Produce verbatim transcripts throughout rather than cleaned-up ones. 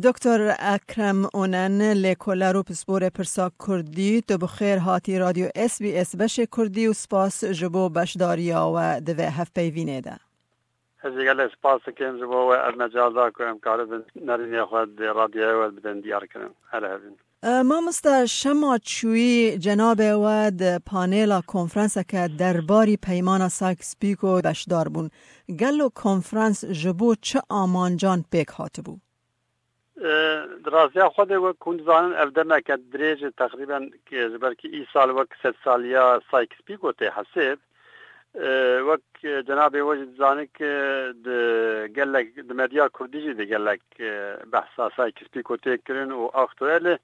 Doktor Ekrem Onen, lêkoler û pisporê pirsa Kurdî, tu bi xêr hatî Radyo S B S beşê Kurdî û spas ji bo beşdariya we di vê hevpeyvînê de. Ez jî gelek spas dikim ji bo we ev mecal da ku em karibin nerînê xwe di radyoyê we bidin diyar kirin. Her hebin. E, mamoste, şema çûyî cenabê we di panêla konferanseke derbarî peymana Sykes-Picot beşdar bûn. Gelo konferans ji bo çi amancan pêk hatibû? E, di rastiya xwe de wek hûn dizanin ev demeke dirêj e, teqrîben, e, ji ber ku îsal wek sedsaliya Sykes-Picot tê hesêb. E, wek, e, cenabê we jî dizane ku di gelek, di medya kurdî jî di gelek, e, behsa Sykes-Picot tê kirin û aktuel e.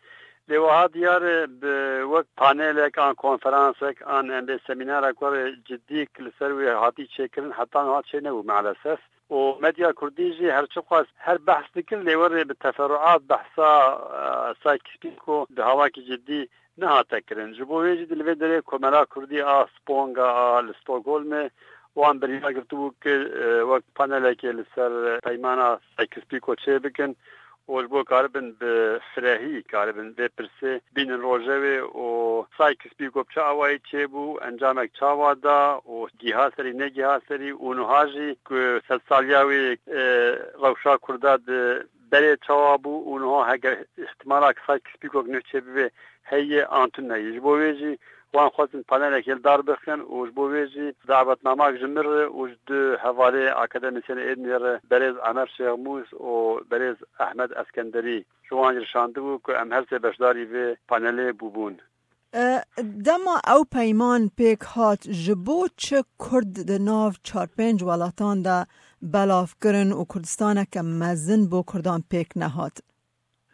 Lê wiha diyar e, bi wek panelek an konferansek an em bê semînerek were cidî li ser wê hatî çêkirin heta niha çê nebû maalesef. Û medya kurdî jî her çiqas her behs dikir lê werê bi teferruat behsa, e, Sykes-Picot bi hawakî cidî nehate kirin. Ji bo wê jî di li vê derê Komela Kurdî a Sponga a li Stockholmê wan biryar girtibû ku, e, wek panelekê li ser peymana Sykes-Picot çê bikin û ji bo karibin bi firehî karibin vê pirsê bînin rojevê û Sykes-Picot bi çi awayî çêbû, encamek çawa da û giha serî, negiha serî û niha jî ku sedsaliya wê, e, rewşa Kurda di berê çawa bû û niha heger îhtimala ku Sykes-Picot nuh çêbibe heye an tune ye. Ji bo wê jî wan xwestin panelekê li dar bixin û ji bo wê jî dawetnamak ji min re û ji du hevalê akademîsyenê êdinê re berêz Emer Şêxmûs û berêz Ehmed Eskenderî ji wan jî re şandibû ku em her sê beşdarî vê panelê bûbûn. E, dema ew peyman pêk hat, ji bo çi Kurd di nav çar pênc welatan de belav kirin û Kurdistaneke mezin bo Kurdan pêk nehat?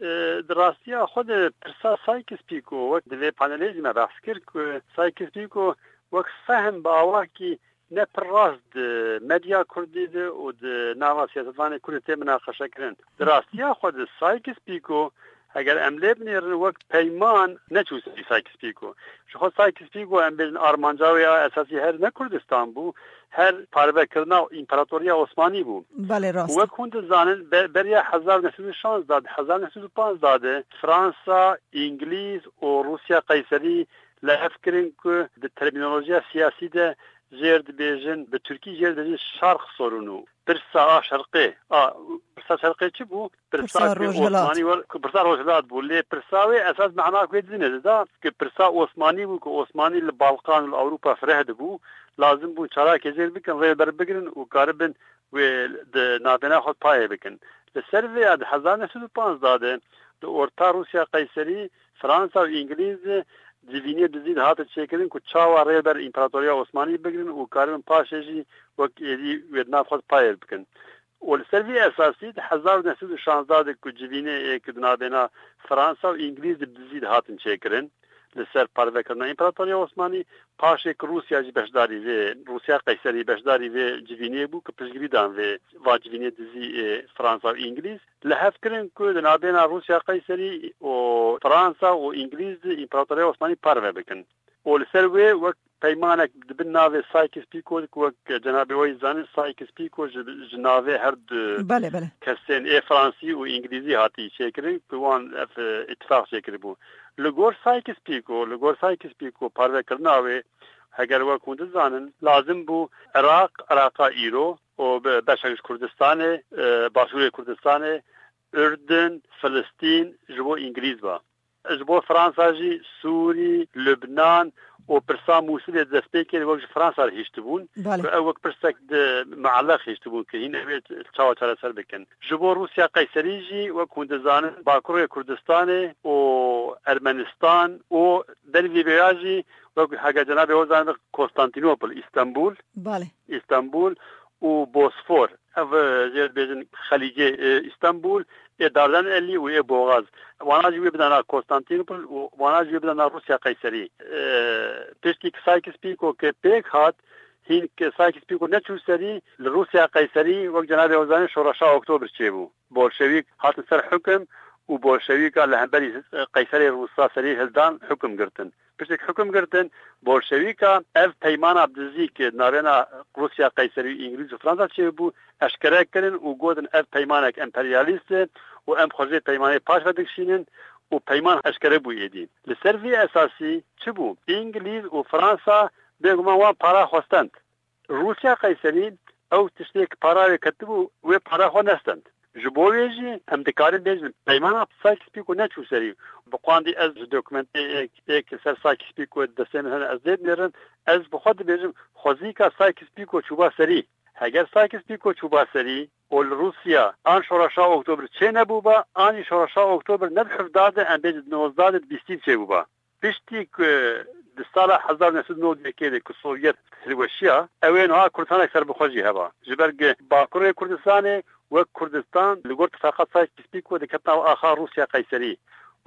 E, di rastiya xwe de pirsa Sykes-Picot, wek di vê panelê jî me behs kir ku Sykes-Picot wek fehm bi awakî ne pir rast di medya kurdî de û di nava siyasetvanê kurdî tê minaqeşe kirin. Di rastiya xwe de Sykes-Picot, heger em lê binêrin, wek peyman neçû serî Sykes-Picot. Ji xwe Sykes-Picot, em bêjin, armanca wê ya esasî her ne Kurdistan bû, her parvekirina Împaratoriya Osmanî bû. Belê, rast. Û wek hûn dizanin, be-, beriya hezar neh sed û şanzdeh de, hezar neh sed û panzdeh de Fransa, Îngilîz û Rûsya Qeyserî li hev kirin ku di termînolojiya siyasî de jêr dibêjin, bi tirkî jêr dibêjin şarq sorunu. Pirsa a şerqê. A, pirsa şerqê çi bû? Pirsa Pirsa ku rojhilat. Osmanî were, ku pirsa rojhilat bû. Lê pirsa wê esas mena ku wê didine dida, ku pirsa Osmanî bû, ku Osmanî li Balkan û li Ewropa fireh dibû. Lazim bû çalakê jêr bikin, rê ber bigrin û karibin wê di navbêna xwe payê bikin. Li ser vê ya di hezar neh sed û panzdeh de di orta Rûsya Qeyserî, Fransa û Îngilîz de civînê dizî dihatin çêkirin ku çawa rê ber Împaratoriya Osmanî bigrin û karibin paşê jî wek êdî wê di nav xwe de payê bikin. Û li ser vî esasî di hezar neh sed û şanzdeh de ku civînê ê ku di navbêna Fransa û Îngilîz de bi dizî dihatin çêkirin, li ser parvekirina Împaratoriya Osmanî, paşê ku Rûsya jî beşdarî vê, Rûsya Qeyserî beşdarî vê civînê bû ku piştgirî dan vê, va civînê dizî ê Fransa û Îngilîz, li hev kirin ku di navbêna Rûsya Qeyserî û Fransa û Îngilîz de Împaratoriya Osmanî parve bikin. Û li ser wê wek peymanek di bin navê Sykes-Picot, ku wek cenabê we yî zanin, Sykes-Picot ji, ji navê her du Belê, belê. kesên ê Fransî û Îngilîzî hatî çêkirin, ku wan ev, e, îtifaq çêkiribû. Li gor Sykes-Picot, li gor Sykes-Picot parvekirina wê, heger wek hûn dizanin, lazim bû Iraq, Iraqa îro û be-, beşek ji Kurdistanê, e, başûrê Kurdistanê, Urdin, Filistîn ji bo Îngilîz ba. Ji bo Fransa jî Sûrî, Lubnan û pirsa Mûsilê di destpêkê de wek ji Fransa re hiştibûn. Belê. Ku ew wek pirsek di muelleq hiştibûn ku hîn ew ê çawa çareser bikin. Ji bo Rûsya Qeyserî jî wek hûn dizanin Bakurê Kurdistanê û Ermenistan û ber vê vêya jî wek hege cenabê we zanin Konstantînopol, Îstenbul. Belê. Îstenbul û Bosfor. Ev, e, jê dibêjin Xelîcê, e, Îstenbul, ê Dardanelî û ê Boğaz. Wana jî wê bidana Konstantînopol û wana jî wê bidana Rûsya Qeyserî. E, piştî ku Sykes-Picot ke pêk hat, hîn ke Sykes-Picot neçû serî, li Rûsya Qeyserî wek cenabê we zanî şoreşa Oktober çêbû. Bolşewîk hatin ser hukim û bolşewîka li hemberî, e, Qeyserê Rûsa serî hildan hukim girtin. Piştî ku hukum girtin, bolşewîka ev peymana bi dizî ku navêna Rûsya Qeyserî û Îngilîz û Fransa çêbû, eşkere kirin û gotin ev peymanek emperyalîst e û em xwe jê peymanê paş ve dikişînin û peyman eşkere bû êdî. Li ser vî esasî çi bû? Îngilîz û Fransa bêguman wan para xwe stend. Rûsya Qeyserî ew tiştê ki para wê ketibû, wê para xwe nestend. Ji bo wê jî em dikarin bêjin, peymana Sykes-Picot neçû serî. Bi qandî ez ji dokumentê ê, ê ki ser Sykes-Picot destê min hene, ez lê dinêrim, ez bi xwe dibêjim, xwezîka Sykes-Picot çûba serî. Heger Sykes-Picot çûba serî û li Rûsya an şoreşa Oktobr çê nebûba, an jî şoreşa Oktobr ne di hevdeh de, em bêjin di nozdeh de, di bîstî de çêbûba. Piştî ku di sala hezar û neh sed û nod û yekê de ku Sovyet hilweşiya, ew ê niha Kurdistanek serbixwe jî heba. Ji ber ku Bakurê Kurdistanê wek Kurdistan li gor tifaqat Sykes-Picot diketna axa Rûsya Qeyserî.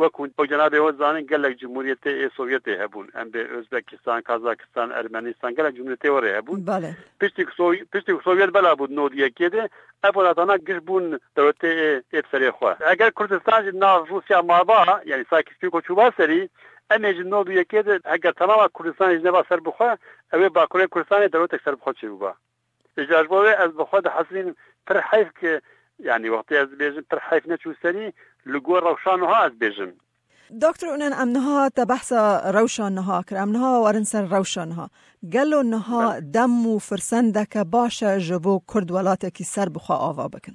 Wek hûn, wek cenabê we dizanin, gelek cumhuriyetê ê Sovyetê hebûn. Em bê Özbekistan, Kazakistan, Ermenistan, gelek cumhuriyetê we rê hebûn. Bale. Piştî ku Sov-, piştî ku Sovyet bela bû di nod û yekê de, ev welatana giş bûn dewletê ê, ê bi serê xwe. Eger Kurdistan jî nav Rûsya maba, yanî Sykes-Picot çûba serî, em ê ji nod û yekê de, eger temama Kurdistanê jî neba serbixwe, ew ê Bakurê Kurdistanê dewletek serbixwe çêbûba. Îcar ji bo wê ez bi xwe dihesibînim pir heyf ki, yanî wextê ez dibêjim pir heyf neçû serî, li gor rewşa niha ez dibêjim. Doktor Unen, em niha te behsa rewşa niha kir. Em niha werin ser rewşa niha. Gelo niha Belê. dem û firsendeke baş e ji bo Kurd welatekî ser bi xwe ava bikin?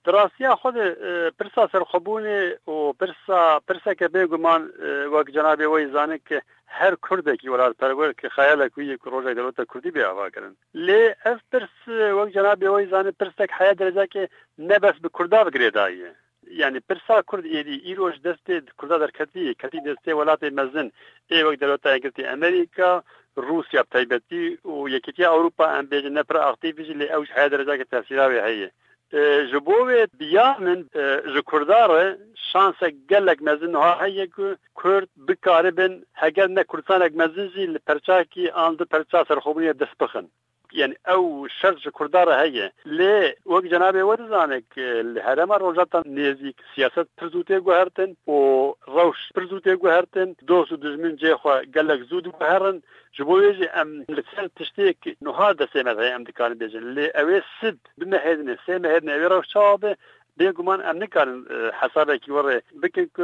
Di rastiya xwe de, e, pirsa serxwebûnê û pirsa, pirseke bêguman, e, wek cenabê we yî zanin ki her Kurdekî welatperwer ki xeyalek wî ye ku rojek dewleta Kurdî bê avakirin. Lê ev pirs, e, wek cenabê we yî zanin pirsek heya derecakê ne bes bi Kurda bi girêdayî ye. Yanî pirsa Kurd êdî îro ji destê Kurda derketî, ketî destê welatê mezin ê wek Dewleta Yekgirtî Amerîka, Rûsya bi taybetî û Yekîtiya Ewropa, em bêjin ne pir aktîf jî, lê ew ji heya derecakê tesîra wê heye. E, ji bo wê bi ya min, e, ji Kurda re şansek gelek mezin niha heye ku Kurd bikaribin, heger ne Kurdistanek mezin jî, li perçakî an du perça serxwebûnê dest bixin. Yanî ew şert ji Kurda re heye. Lê wek cenabê we dizane ki li herêma Rojhilata Nêzîk siyaset pir zû tê guhertin û rewş pir zû tê guhertin. Dost û dijmin cihê xwe gelek zû diguherin. Ji bo wê jî em li ser tiştê ki niha destê me de heye em dikarin bêjin. Lê ew ê sid, du mehê dinê, sê mehê dinê ew ê rewş çawa be, bêguman em nikarin, e, hesabekî we rê bikin ku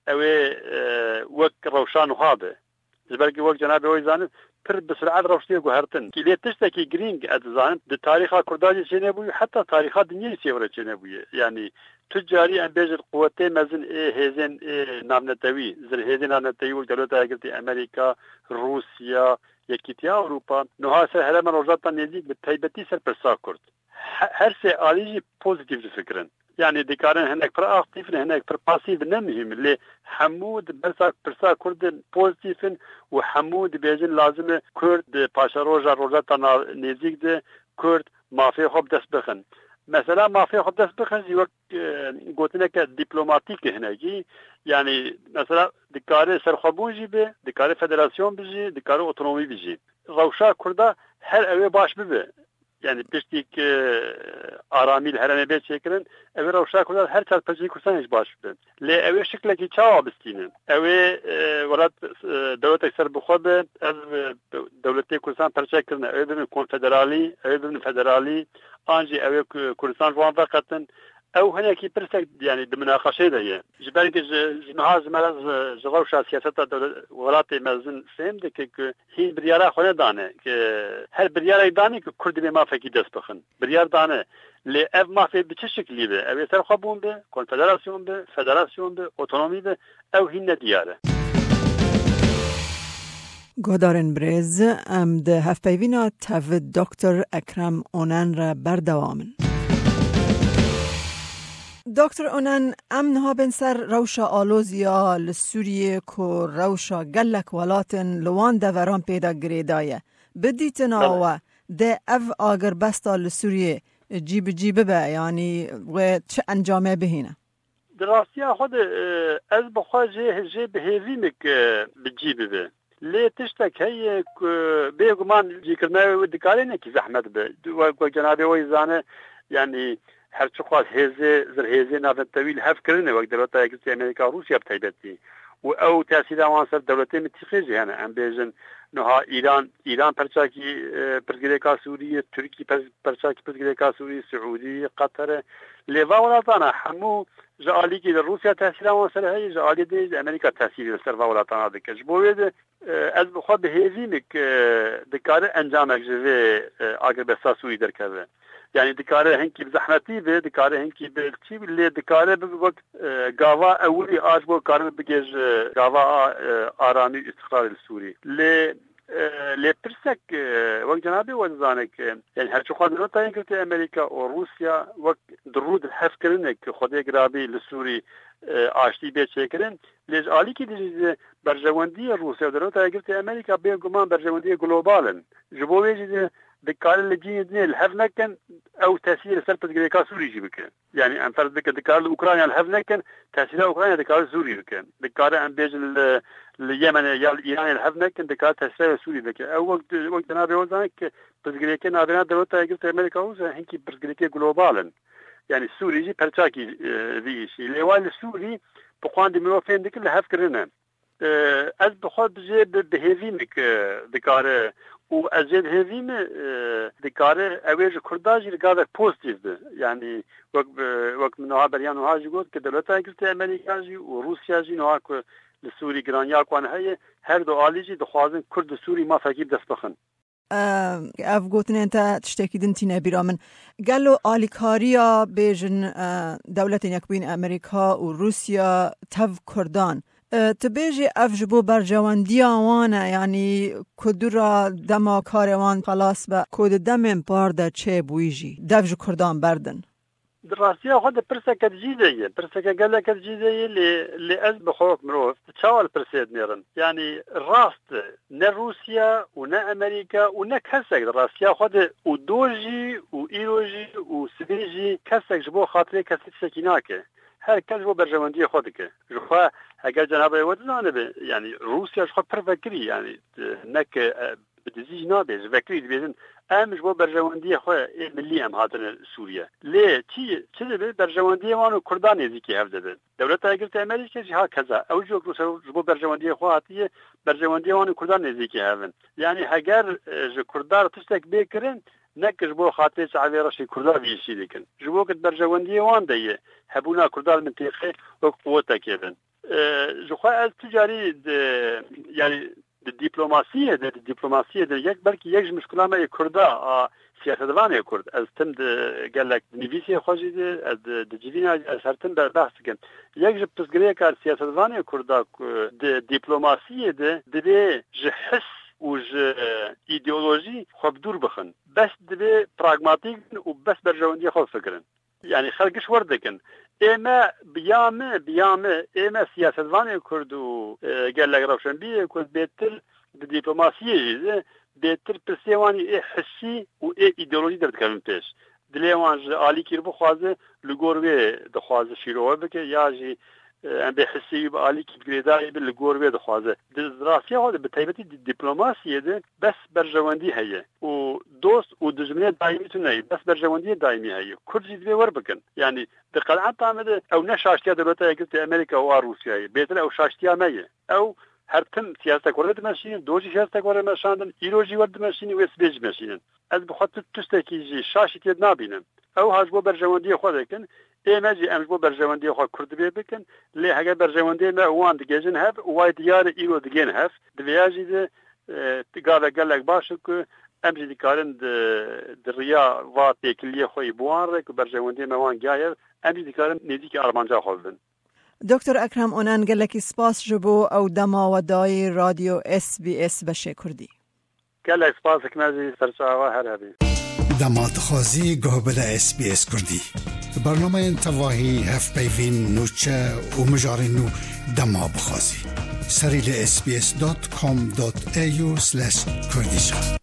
ew ê, e, wek rewşa niha be. Ji ber ku wek cenabê we zanin, pir bi sur'et rewştê guhertin. Lê tiştekî girîng ez dizanim, di tarîxa Kurdan jî çênebûye, heta tarîxa dinyê jî çêvre çênebûye. Yanî tu carî em bêjin quwetê mezin ê hêzên ê navnetewî, zirhêzên navnetewî wek Dewleta Yekgirtî Amerîka, Rûsya, Yekîtiya Ewropa, niha ser herêma Rojhilata Nêzîk bi taybetî ser pirsa Kurd. He-, her sê alî jî pozîtîf difikirin. Yanî dikarin hinek pir aktîf in, hinek pir pasîf in, ne muhîm in. Lê hemû di bersa pirsa Kurd de pozîtîf in û hemû dibêjin lazim e Kurd di paşeroja Rojhilata Nav-, Nêzîk de Kurd mafê xwe bi dest bixin. Mesela mafê xwe bi dest bixin jî wek, e, gotineke dîplomatîk e hinekî. Yanî mesela dikare serxwebûn jî be, dikare federasyon be jî, dikare otonomî be jî. Rewşa Kurda her ew ê baş bibe. Yanî piştî ku aramî li herêmê bê çêkirin, ew ê rewşa Kurdan her çar perçeyên Kurdistanê jî baş bibe. Lê ew ê şiklekî çawa bistînin? Ew ê, e, welat, e, dewletek serbixwe be, ev, e, dewletê Kurdistan perçe kirine, ew ê bibin konfederalî, ew ê bibin federalî, an jî ew ê ku Kurdistan ji wan veqetin. Ew hinekî pirsek, yanî di minaqeşê de ye. Ji ber ku ji, ji niha ji me re ji, ji rewşa siyaseta dewle-, welatê mezin fêm dike ku hîn biryara xwe nedane, ku her biryarek dane ku Kurd divê mafekî dest bixin. Biryar dane. Lê ev mafê bi çi şiklî be? Ew ê serxwebûn be, konfederasyon be, federasyon be, otonomî be, ew hîn nediyar e. Guhdarên birêz, em di hevpeyvîna tev Doktor Ekrem Onen re berdewam in. Doktor Onen, em niha bên ser rewşa aloziya li Sûriyê ku rewşa gelek welatên li wan deveran pê de girêdaye. Bi dîtina Belê. we, dê ev agirbesta li Sûriyê cî bi cî bibe, yanî wê çi encamê bihîne? Di rastiya xwe de, e, ez bi xwe jê, jê bi hêvî me ke bi cî bibe. Lê tiştek heye ku bêguman cîkirina wê dikare hinekî zehmet be. Wek, wek cenabê we zane, yanî her çiqas hêzê, zirhêzê navnetewî li hev kirine, wek Dewleta Yekgirtî Amerîka, Rûsya bi taybetî. û ew tesîra wan ser dewletê mitîqê jî hene. Em bêjin, niha Îran, Îran perçakî, e, pirsgirêka Sûriyê, Tirkî per-, perçakî pirsgirêka Sûriyê, Siûdî, Qeter e. Lê va welatana hemû ji alîkî de Rûsya tesîra wan ser heye, ji alî din jî Amerîka tesîrê li ser va welatana dike. Ji bo wê de, e, ez bi xwe bi hêvî me ku dikare encamek ji vê, e, agirbesta Sûrî derkeve. Yanî dikare hinkî bi zehmetî be, dikare hinkî bi çî be, lê dikare bibe wek, e, gava ewilî a ji bo karibe bigê ji gava a, e, aramî û îstiqrarê li Sûrî. Lê, e, lê pirsek, e, wek cenabê we dizane ku, yanî her çiqas Dewleta Yekgirtî Amerîka û Rûsya wek di rû di hevkirine ku Xwedê girabî li Sûrî, e, aştî bê çêkirin, lê ji alîkî dijî berjewendiyê Rûsya û Dewleta Yekgirtî Amerîka bêguman berjewendiyê global in. Ji bo wê jî de dikare li cihê dinê li hev nekin, ew tesîrê li ser pirsgirêka Sûrî jî bike. Yanî em ferz bikin, dikare li Ukrayna li hev nekin, tesîra Ukrayna dikare Sûrî bike. Dikare em bêjin li, li Yemenê ya li Îranê li hev nekin, dikare tesîra Sûrî bike. Ew wek, wek cenabê we zane ki pirsgirêkê navêna Dewleta Yekgirtî Amerîka û hinkî pirsgirêkê global in. Yanî Sûrî jî perçakî, e, vî îşî. Lê wa li Sûrî bi qandî mirov fêm dikin li hev kirine. E, ez bi xwe bi jê bi, bi hêvî me ku dikare û ez jê bi hêvî me, e, dikare ew ê ji Kurda jî li gavek pozitîf be. Yanî wek bi, wek min niha beriya niha jî got ku Dewleta Yekgirtî Amerîka jî û Rûsya jî niha ku li Sûrî giraniya ku wan heye, her du alî jî dixwazin Kurd û Sûrî mafekî bi dest bixin. Ev gotinên te tiştekî din tîne bîra min. Gelo alîkariya bêjin, e, Dewletên Yekbûyîn Amerîka û Rûsya tev Kurdan, e, tu bêjî ev ji bo berjewendiya wan e, yanî ku dû re dema karê wan xelas be, ku di demên par de çêbûyî jî dev ji Kurdan berdin? Di rastiya xwe de pirseke di cî de ye. Pirseke geleke di cî de ye, lê, lê ez bi xwe wek mirov çawa li pirsê dinêrim? Yanî rast e, ne Rûsya û ne Amerîka û ne kesek di rastiya xwe de û do jî û îro jî û sibê jî kesek ji bo xatirê kesî tiştekî nake. Her kes ji bo berjewendiyê xwe dike. Ji xwe heger cenabê we dizanibe, yanî Rûsya ji xwe pir vekirî, yanî, e, ne ke, e, bi dizî jî nabe, ji vekirî dibêjin, em ji bo berjewendiyê xwe ê milî em hatine Sûriye. Lê çi, çi dibe? Berjewendiyê wan û Kurdan nêzîkî hev dibe. Dewleta Yekgirtî Amerîkê jî ha keza. Ew jî wek Rûsya ji bo berjewendiyê xwe hatiye, berjewendiyê wan û Kurdan nêzîkî hev in. Yanî heger, e, ji Kurdan re tiştek bê kirin, ne ki ji bo xatirê çavê reşê Kurda vî îşî dikin. Ji bo ku di berjewendiyê wan de ye, hebûna Kurda li mintîqê wek quwetekê bin. E, ji xwe ez tu carî di, yanî di dîplomasiyê de, di dîplomasiyê de yek, belkî yek ji mişkula me yê Kurda, a siyasetvanê Kurd. Ez tim di gelek di nivîsê xwe jî de, ez di, di civîna jî ez her tim be-, behs dikim. Yek ji pirsgirêka siyasetvanê Kurda ku di dîplomasiyê de divê ji his û ji, e, îdeolojî xwe bi dûr bixin. Bes divê pragmatîk bin û bes berjewendiyê xwe bifikirin. Yanî xelk giş wer dikin. Ê me, bi ya me, bi ya me, ê me siyasetvanê Kurd û, e, gelek rewşenbîrê Kurd bêtir di dîplomasiyê jî de bêtir pirsê wan ê hissî û ê îdeolojî derdikevin pêş. Dilê wan ji alîkî re bixwaze, li gor wê dixwaze şîrove bike ya jî, e, em bê hissê wî bi alîkî bi girêdayî bi li gor wê dixwaze. Di rastiya xwe de bi taybetî di dîplomasiyê de bes berjewendî heye û dost û dijminê daîmî tune ye, bes berjewendiyê daîmî heye. Kurd jî divê wer bikin. Yanî di qenaeta me de ew ne şaştiya Dewleta Yekgirtî Amerîka û a Rûsyayê. Bêtir ew şaştiya me ye. Ew her tim siyasetek were dimeşînin, do jî siyasetek were meşandin, îro jî wer dimeşînin, wê sibê jî meşînin. Ez bi xwe tu tiştekî jî şaşî tê nabînim. Ew ha ji bo berjewendiyê xwe dikin, ê me jî em ji bo berjewendiyê xwe Kurd divê bikin, lê heger berjewendiyê me û wan digihêjin hev û way diyar e îro digihên hev, di vêya jî de, e, gavek gelek baş e ku em jî dikarin di, di riya va têkiliyê xwe yî bi wan re ku berjewendiyê me wan gihaye, em jî dikarin nêzîkî armanca xwe bibin. Doktor Ekrem Onan, gelekî spas ji bo ew dema we dayî Radyo S B S beşê Kurdî. Gelek spas dikim ez jî, serçava her hebî. Dema dixwazî guh bide S B S Kurdî. Bernameyên tevahî, hevpeyvîn, nûçe û mijarên nû dema bixwazî. Serî li S B S dot com dot A U slash Kurdish.